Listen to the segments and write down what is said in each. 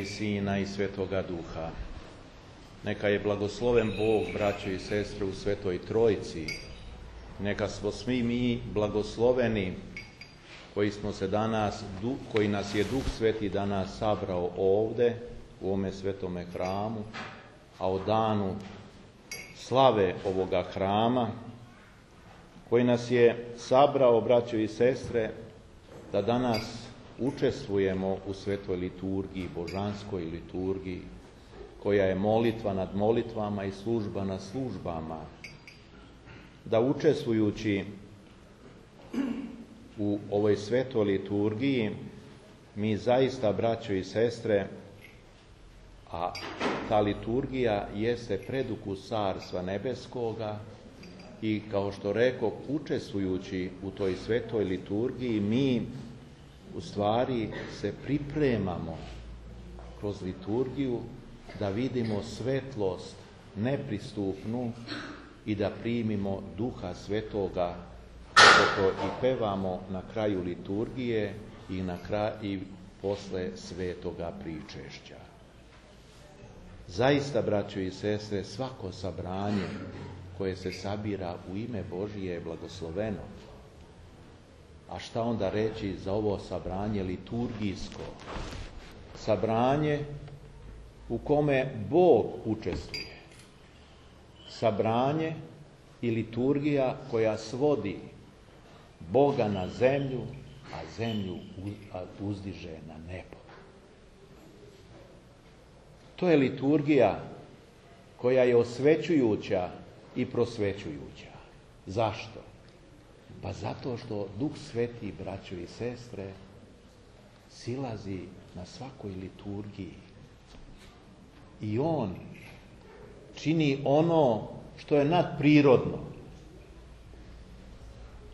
i Sina i Svetoga Duha. Neka je blagosloven Bog, braćo i sestre, u Svetoj Trojici. Neka smo svi mi blagosloveni koji nas je Duh Sveti danas sabrao ovde, u ovome svetome hramu, a o danu slave ovoga hrama, koji nas je sabrao, braćo i sestre, da danas učestvujemo u svetoj liturgiji, božanskoj liturgiji, koja je molitva nad molitvama i služba nad službama, da učestvujući u ovoj svetoj liturgiji, mi zaista, braćo i sestre, a ta liturgija jeste predukus Carstva nebeskoga i, kao što rekoh, učestvujući u toj svetoj liturgiji, mi u stvari se pripremamo kroz liturgiju da vidimo svetlost nepristupnu i da primimo Duha Svetoga, kako to i pevamo na kraju liturgije i posle svetoga pričešća. Zaista, braćo i sestre, svako sabranje koje se sabira u ime Božije je blagosloveno. A šta onda reći za ovo sabranje liturgijsko? Sabranje u kome Bog učestvuje. Sabranje i liturgija koja svodi Boga na zemlju, a zemlju uzdiže na nebo. To je liturgija koja je osvećujuća i prosvećujuća. Zašto? Pa zato što Duh Sveti, braćo i sestre, silazi na svakoj liturgiji. I On čini ono što je nadprirodno.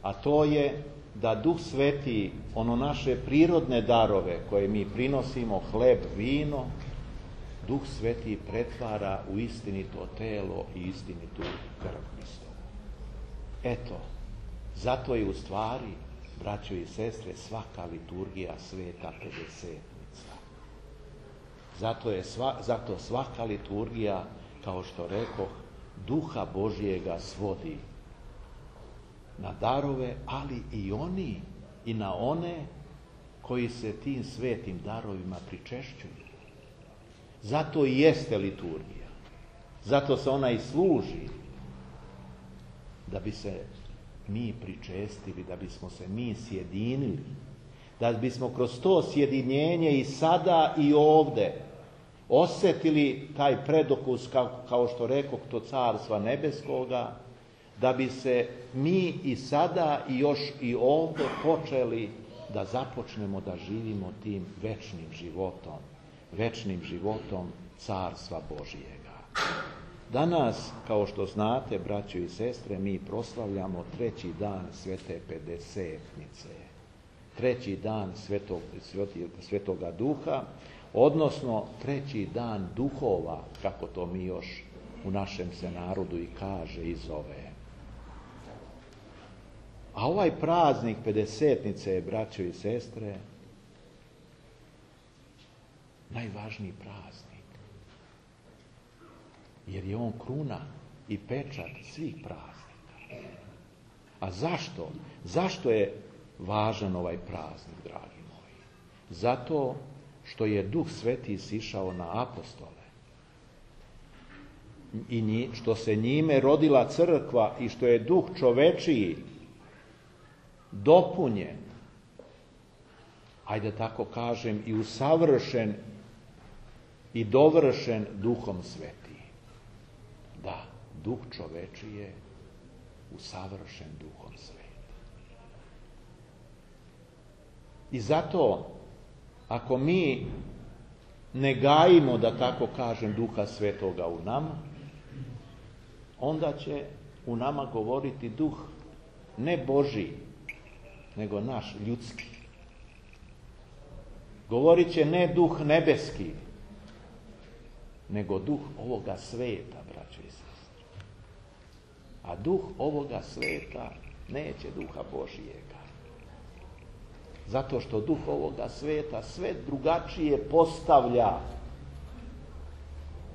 A to je da Duh Sveti, ono naše prirodne darove koje mi prinosimo, hleb, vino, Duh Sveti pretvara u istinito telo i istinitu krv Hristovu. Eto, zato je u stvari, braćo i sestre, svaka liturgija sveta pedesetnica. Zato svaka liturgija, kao što rekoh, Duha Božjega svodi na darove, ali i na one koji se tim svetim darovima pričešćuju. Zato i jeste liturgija. Zato se ona i služi, da bi se mi pričestili, da bismo se mi sjedinili, da bismo kroz to sjedinjenje i sada i ovde osjetili taj predokus, kao što rekoh, to Carstva nebeskoga, da bi se mi i sada i još i ovde počeli da započnemo da živimo tim večnim životom Carstva Božijega. Danas, kao što znate, braćo i sestre, mi proslavljamo 3. dan Svete Pedesetnice, 3. dan Svetoga Duha, odnosno 3. dan duhova, kako to mi još u našem se narodu i kaže i zove. A ovaj praznik Pedesetnice je, braćo i sestre, najvažniji praznik, jer je on kruna i pečat svih praznika. A zašto? Zašto je važan ovaj praznik, dragi moji? Zato što je Duh Sveti sišao na apostole i što se njime rodila crkva i što je Duh čovečiji dopunjen, ajde tako kažem, i usavršen i dovršen Duhom Sveti. Da, Duh čovečiji je usavršen Duhom Sveti. I zato, ako mi ne gajimo, da tako kažem, Duha Svetoga u nama, onda će u nama govoriti duh ne Božji, nego naš, ljudski. Govorit će ne duh nebeski, nego duh ovoga sveta, braćo i sestre. A duh ovoga sveta neće Duha Božijega. Zato što duh ovoga sveta sve drugačije postavlja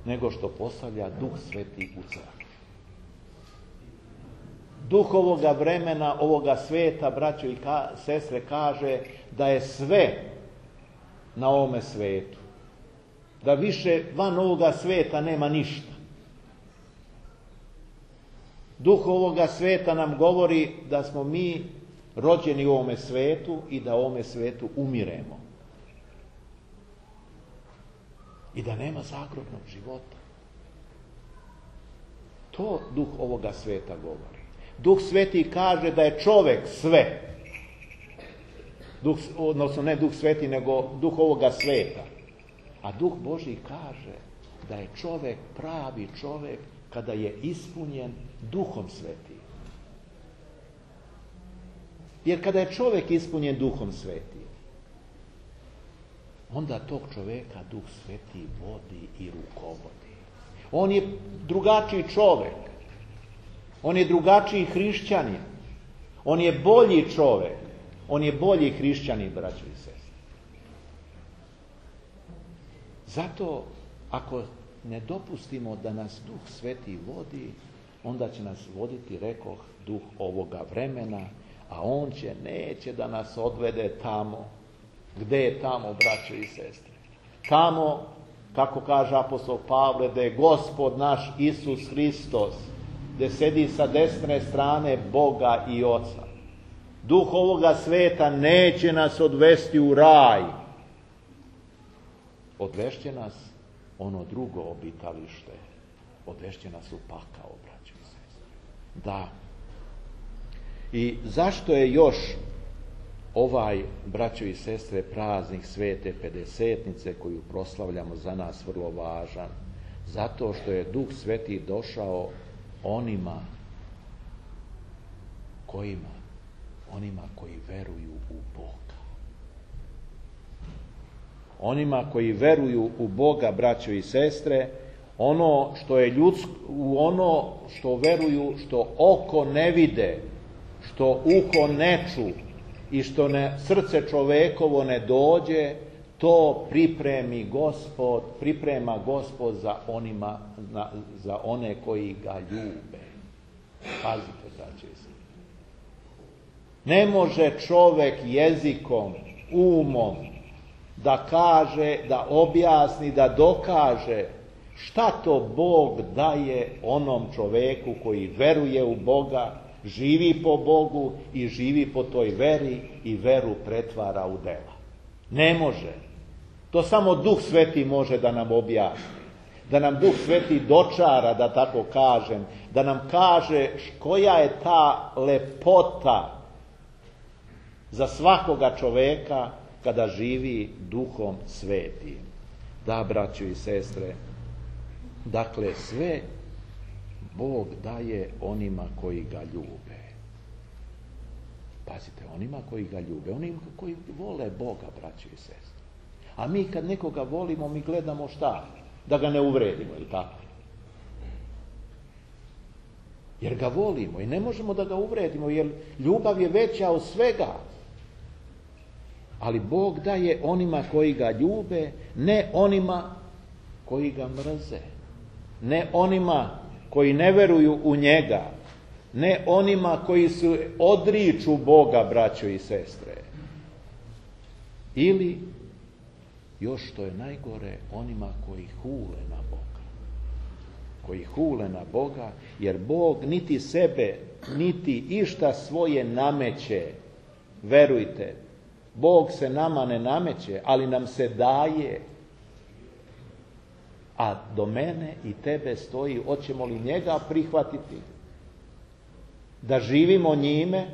nego što postavlja Duh Sveti u crkvi. Duh ovoga vremena, ovoga sveta, braćo i sestre, kaže da je sve na ovome svetu. Da više van ovoga sveta nema ništa. Duh ovoga sveta nam govori da smo mi rođeni u ovome svetu i da u ovome svetu umiremo. I da nema zagrobnog života. To duh ovoga sveta govori. Duh Sveti kaže da je čovjek sve. Odnosno ne Duh Sveti, nego duh ovoga sveta. A Duh Božji kaže da je čovjek pravi čovjek kada je ispunjen Duhom Svetim. Jer kada je čovjek ispunjen Duhom Svetim, onda tog čovjeka Duh Sveti vodi i rukovodi. On je drugačiji čovjek. On je drugačiji hrišćanin. On je bolji čovjek. On je bolji hrišćanin, braćo i sestre. Zato, ako ne dopustimo da nas Duh Sveti vodi, onda će nas voditi, rekoh, duh ovoga vremena, a on neće da nas odvede tamo. Gde je tamo, braćo i sestre? Tamo, kako kaže apostol Pavle, da je Gospod naš Isus Hristos, gde sedi sa desne strane Boga i Oca. Duh ovoga sveta neće nas odvesti u raj. Odvešće nas ono drugo obitalište. Odvešće nas u pakao, braćo i sestre. Da. I zašto je još ovaj, braćo i sestre, praznik Svete Pedesetnice koju proslavljamo za nas vrlo važan? Zato što je Duh Sveti došao onima koji veruju u Boga. Onima koji veruju u Boga, braćo i sestre, ono što je ljudsko, ono što veruju, što oko ne vide, što uho ne ču i što srce čovekovo ne dođe, to priprema Gospod za one koji ga ljube. Pazite, braćo i sestre. Ne može čovek jezikom, umom da kaže, da objasni, da dokaže šta to Bog daje onom čoveku koji veruje u Boga, živi po Bogu i živi po toj veri i veru pretvara u dela. Ne može. To samo Duh Sveti može da nam objasni. Da nam Duh Sveti dočara, da tako kažem, da nam kaže koja je ta lepota za svakoga čoveka kada živi Duhom Svetim. Da, braćo i sestre, dakle sve Bog daje onima koji ga ljube. Pazite, onima koji ga ljube, onima koji vole Boga, braćo i sestre. A mi kad nekoga volimo, mi gledamo šta? Da ga ne uvredimo, ili tako? Jer ga volimo i ne možemo da ga uvredimo, jer ljubav je veća od svega. Ali Bog daje onima koji ga ljube, ne onima koji ga mrze. Ne onima koji ne veruju u njega. Ne onima koji se odriču Boga, braćo i sestre. Ili, još što je najgore, onima koji hule na Boga. Koji hule na Boga, jer Bog niti sebe, niti išta svoje nameće. Verujte, Bog se nama ne nameće, ali nam se daje. A do mene i tebe stoji, hoćemo li njega prihvatiti? Da živimo njime,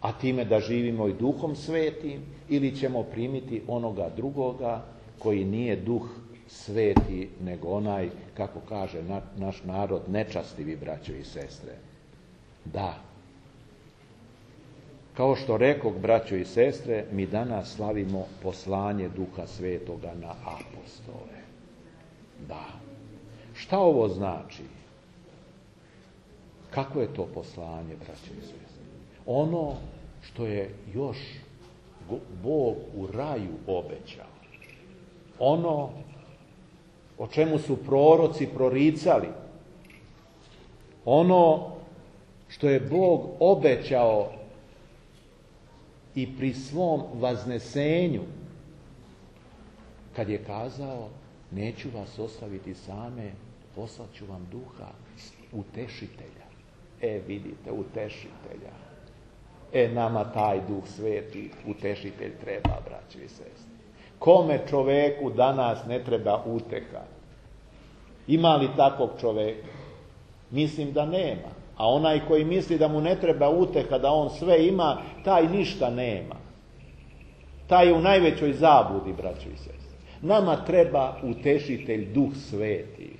a time da živimo i Duhom Svetim, ili ćemo primiti onoga drugoga koji nije Duh Sveti, nego onaj, kako kaže naš narod, nečastivi, braćo i sestre. Da. Kao što rekog, braćo i sestre, mi danas slavimo poslanje Duha Svetoga na apostole. Da. Šta ovo znači? Kako je to poslanje, braćo i sestre? Ono što je još Bog u raju obećao. Ono o čemu su proroci proricali, ono što je Bog obećao i pri svom vaznesenju, kad je kazao, neću vas ostaviti same, poslat ću vam duha, utešitelja. Vidite, utešitelja. Nama taj duh sveti, utešitelj treba, braćo i sestre. Kome čoveku danas ne treba uteha? Ima li takvog čoveka? Mislim da nema. A onaj koji misli da mu ne treba uteha, da on sve ima, taj ništa nema. Taj je u najvećoj zabludi, braćo i sestre. Nama treba utešitelj, duh sveti.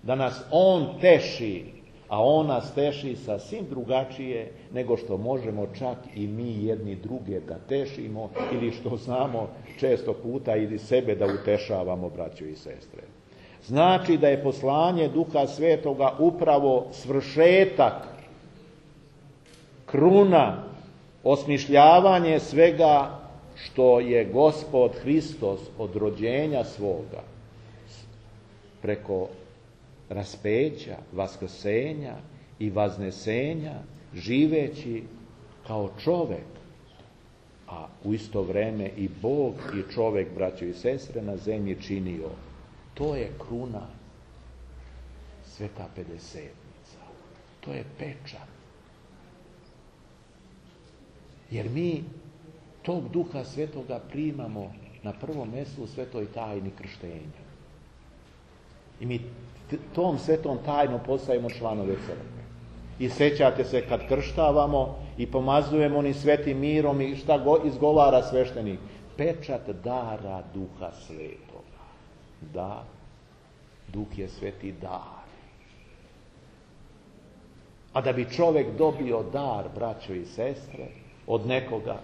Da nas on teši, a on nas teši sasvim drugačije nego što možemo čak i mi jedni druge da tešimo ili što znamo često puta ili sebe da utešavamo, braćo i sestre. Znači da je poslanje Duha Svetoga upravo svršetak, kruna, osmišljavanje svega što je Gospod Hristos od rođenja svoga preko raspeća, vaskrsenja i vaznesenja, živeći kao čovek, a u isto vreme i Bog i čovek, braćo i sestre, na zemlji činio. To je kruna, Sveta Pedesetnica. To je pečat. Jer mi tog Duha Svetoga primamo na prvom mjestu u svetoj tajni krštenja. I mi tom svetom tajnom postajemo članove crkve. I sećate se kad krštavamo i pomazujemo onim svetim mirom i šta izgovara sveštenik. Pečat dara Duha Svetoga. Da, Duh je sveti dar. A da bi čovjek dobio dar, braćo i sestre, od nekoga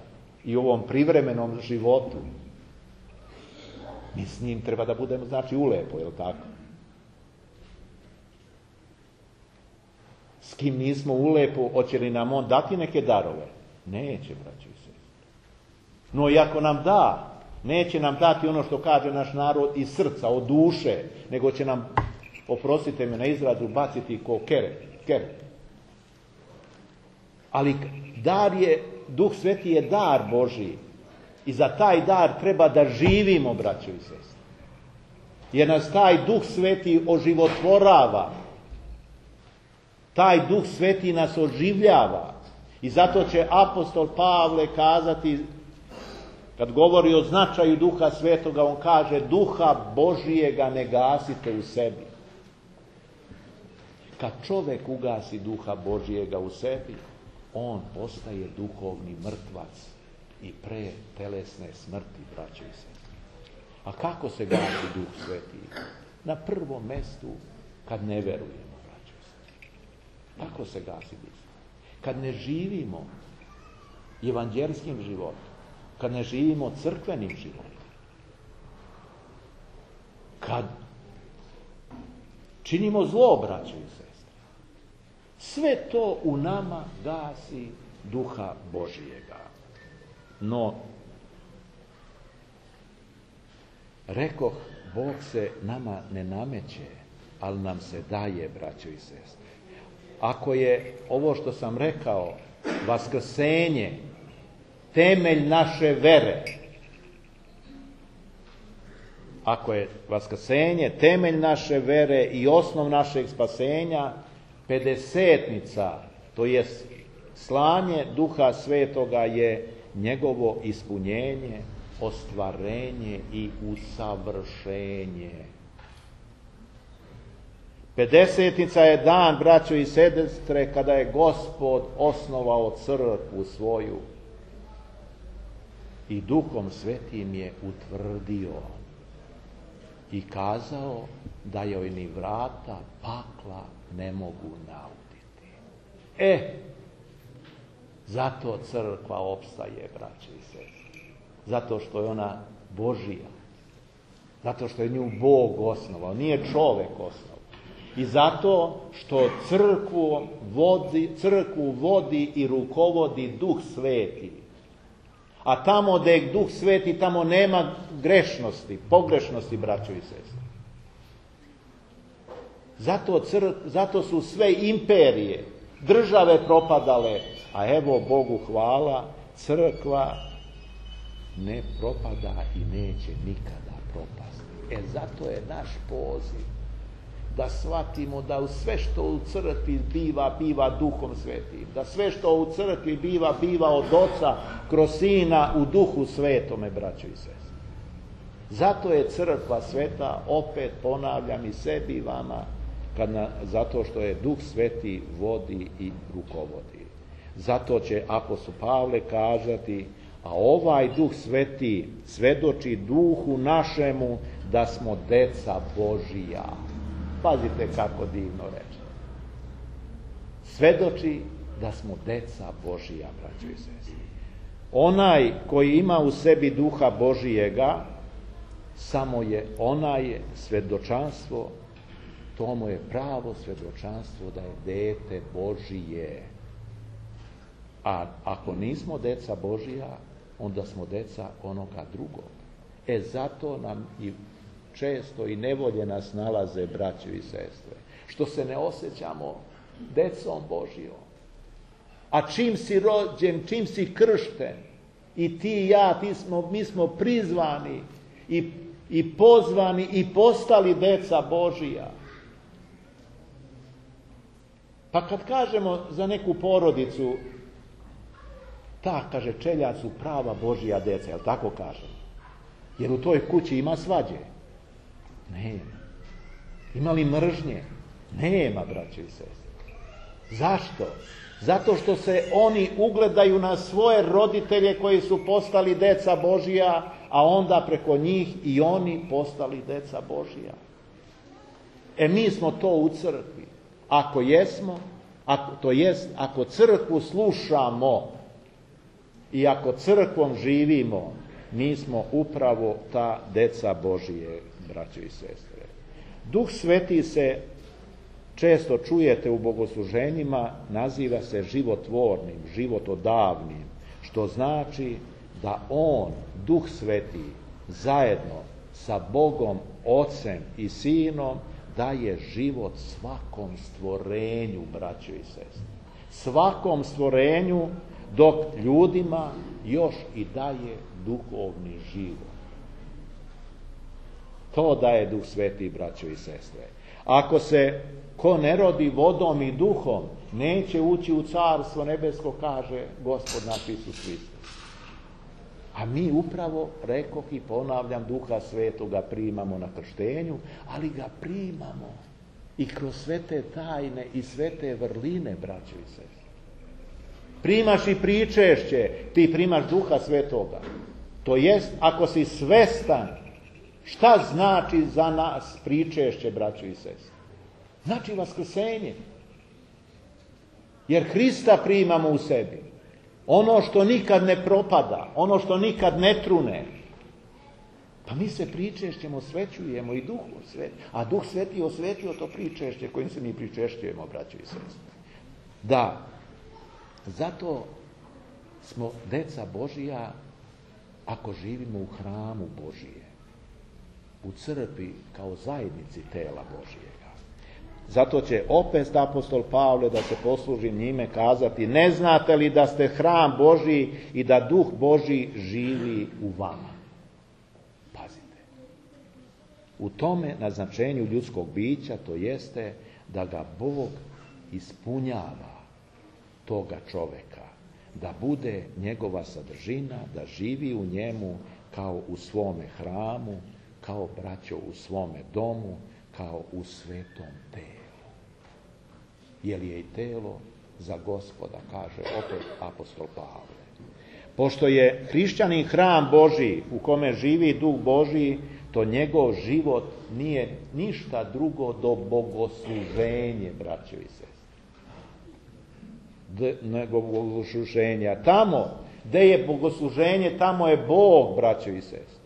i u ovom privremenom životu, mi s njim treba da budemo, znači, ulepo, je li tako? S kim nismo ulepo, hoće li nam on dati neke darove? Neće, braćo i sestre. No i ako nam da, neće nam dati ono što kaže naš narod iz srca, od duše, nego će nam, oprostite me na izrazu, baciti ko keret. Ali dar je, Duh Sveti je dar Božji. I za taj dar treba da živimo, braćo i sestre. Jer nas taj Duh Sveti oživotvorava. Taj Duh Sveti nas oživljava. I zato će apostol Pavle kazati, kad govori o značaju Duha Svetoga, on kaže, Duha Božijega ne gasite u sebi. Kad čovjek ugasi Duha Božijega u sebi, on postaje duhovni mrtvac i pre telesne smrti, braćo i sestre. A kako se gasi Duh Sveti? Na prvom mjestu kad ne verujemo, braćo i sestre. Kako se gasi Duh Sveti? Kad ne živimo evanđelskim životom, kad ne živimo crkvenim životom, kad činimo zlo, braćo i sestre. Sve to u nama gasi Duha Božijega. No, rekoh, Bog se nama ne nameće, ali nam se daje, braćo i sestre. Ako je ovo što sam rekao, vaskrsenje, temelj naše vere, ako je vaskrsenje temelj naše vere i osnov našeg spasenja, Pedesetnica, to je slanje Duha Svetoga, je njegovo ispunjenje, ostvarenje i usavršenje. Pedesetnica je dan, braćo i sestre, kada je Gospod osnovao crkvu svoju i Duhom Svetim je utvrdio i kazao da joj ni vrata pakla ne mogu nauditi. Zato crkva opstaje, braće i sestre. Zato što je ona Božija. Zato što je nju Bog osnovao, nije čovek osnovao. I zato što crkvu vodi i rukovodi Duh Sveti. A tamo gdje je Duh Sveti, tamo nema grešnosti, pogrešnosti, braćo i sestre. Zato su sve imperije, države propadale, a evo Bogu hvala, crkva ne propada i neće nikada propasti. Zato je naš poziv da shvatimo da u sve što u crkvi biva Duhom Svetim, da sve što u crkvi biva od Oca kroz Sina u Duhu Svetome, braćo i sestre. Zato je crkva sveta, opet ponavljam i sebi i vama, zato što je Duh Sveti vodi i rukovodi. Zato će apostol Pavle kazati, a ovaj Duh Sveti svedoči duhu našemu da smo deca Božija. Pazite kako divno reče. Svedoči da smo deca Božija, braćo i sestre. Onaj koji ima u sebi Duha Božijega, samo je onaj svedočanstvo, to mu je pravo svedočanstvo da je dete Božije. A ako nismo deca Božija, onda smo deca onoga drugog. Zato nam i često i nevolje nas nalaze, braćo i sestre, što se ne osjećamo decom Božijom. A čim si rođen, čim si kršten, i ti i ja, mi smo prizvani i pozvani i postali deca Božija. Pa kad kažemo za neku porodicu, kaže, čeljad su prava Božija deca, jel tako kažemo? Jer u toj kući ima svađe? Nema. Ima li mržnje? Nema, braćo i sestre. Zašto? Zato što se oni ugledaju na svoje roditelje koji su postali deca Božija, a onda preko njih i oni postali deca Božija. Mi smo to u crkvi. Ako jesmo, ako crkvu slušamo i ako crkvom živimo, mi smo upravo ta deca Božije, braćo i sestre. Duh Sveti se, često čujete u bogosluženjima, naziva se životvornim, životodavnim, što znači da on, Duh Sveti, zajedno sa Bogom, Ocem i Sinom, daje život svakom stvorenju, braćo i sestre. Svakom stvorenju, dok ljudima još i daje duhovni život. To daje Duh Sveti, braćo i sestre. Ako se ko ne rodi vodom i duhom, neće ući u carstvo nebesko, kaže Gospod naš Isus Hristos. A mi upravo, rekoh i ponavljam, Duha Svetoga primamo na krštenju, ali ga primamo i kroz sve te tajne i sve te vrline, braćo i sestre. Primaš i pričešće, ti primaš Duha Svetoga. To jest, ako si svestan šta znači za nas pričešće, braćo i sestre. Znači vaskrsenje. Jer Hrista primamo u sebi. Ono što nikad ne propada, ono što nikad ne trune. Pa mi se pričešćem osvećujemo i Duhu Sveti. A Duh Sveti osvećuje to pričešće kojim se mi pričešćujemo, braćo i sestre. Da, zato smo deca Božija ako živimo u hramu Božije. U crkvi kao zajednici tela Božijega. Zato će opet apostol Pavle, da se poslužim njime, kazati: ne znate li da ste hram Božji i da Duh Božji živi u vama? Pazite. U tome naznačenju ljudskog bića, to jeste da ga Bog ispunjava, toga čoveka, da bude njegova sadržina, da živi u njemu kao u svome hramu, kao braćo u svome domu, kao u svetom telu. Jer je i telo za Gospoda, kaže opet apostol Pavle. Pošto je hrišćanin hram Božji u kome živi Duh Božji, to njegov život nije ništa drugo do bogosluženje, braćo i sestre. Nego bogosluženja. Tamo gde je bogosluženje, tamo je Bog, braćo i sestre.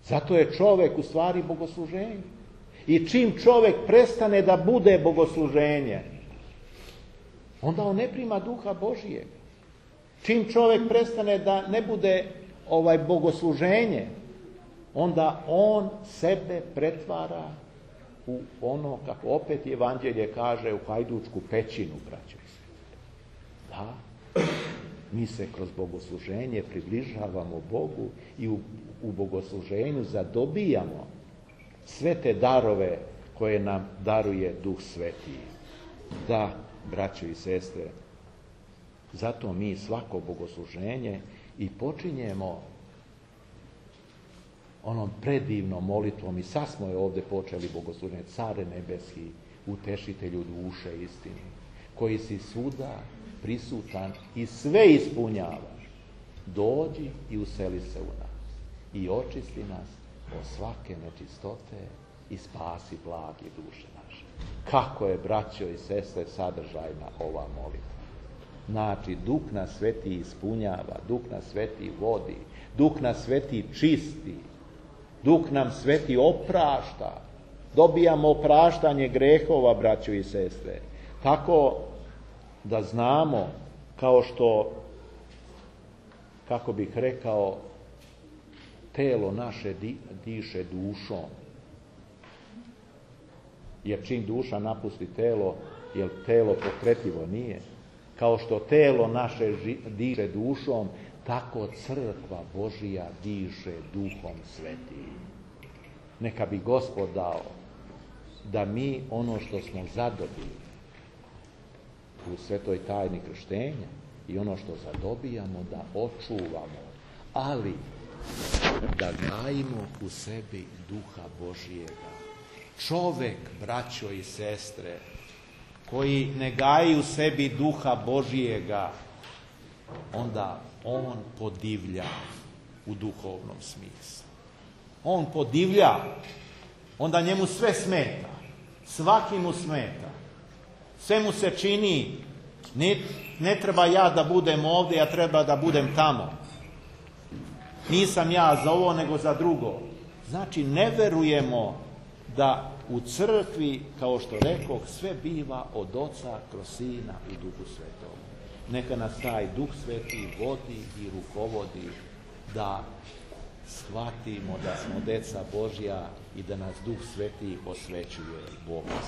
Zato je čovek u stvari bogosluženje. I čim čovek prestane da bude bogosluženje, onda on ne prima Duha Božijeg. Čim čovek prestane da ne bude bogosluženje, onda on sebe pretvara u ono, kako opet Evanđelje kaže, u hajdučku pećinu, braćo i sestre. Da, mi se kroz bogosluženje približavamo Bogu i u bogosluženju zadobijamo sve te darove koje nam daruje Duh Sveti. Da, braćo i sestre, zato mi svako bogosluženje i počinjemo onom predivnom molitvom, i sad smo je ovdje počeli bogosluženje, Care nebeski, utešitelju duše istini, koji si svuda prisutan i sve ispunjavaš, dođi i useli se u nas i očisti nas od svake nečistote i spasi blagi duše naše. Kako je, braćo i sestre, sadržajna ova molitva. Znači, Duh nas Sveti ispunjava, Duh nas Sveti vodi, Duh nas Sveti čisti, Duh nam Sveti oprašta. Dobijamo opraštanje grehova, braćo i sestre. Tako da znamo, kao što, kako bih rekao, telo naše diše dušom. Jer čim duša napusti telo, jer telo pokretljivo nije. Kao što telo naše diše dušom, tako crkva Božija diše Duhom Svetim. Neka bi Gospod dao da mi ono što smo zadobili u svetoj tajni krštenja i ono što zadobijamo da očuvamo, ali da gajimo u sebi Duha Božijega. Čovek, braćo i sestre, koji ne gaji u sebi Duha Božijega, onda on podivlja u duhovnom smislu. On podivlja, onda njemu sve smeta, svaki mu smeta. Sve mu se čini, ne treba ja da budem ovdje, ja treba da budem tamo. Nisam ja za ovo, nego za drugo. Znači, ne verujemo da u crkvi, kao što rekoh, sve biva od Oca kroz Sina i Duhu Svetom. Neka nas taj Duh Sveti vodi i rukovodi da shvatimo da smo deca Božja i da nas Duh Sveti osvećuje Boga.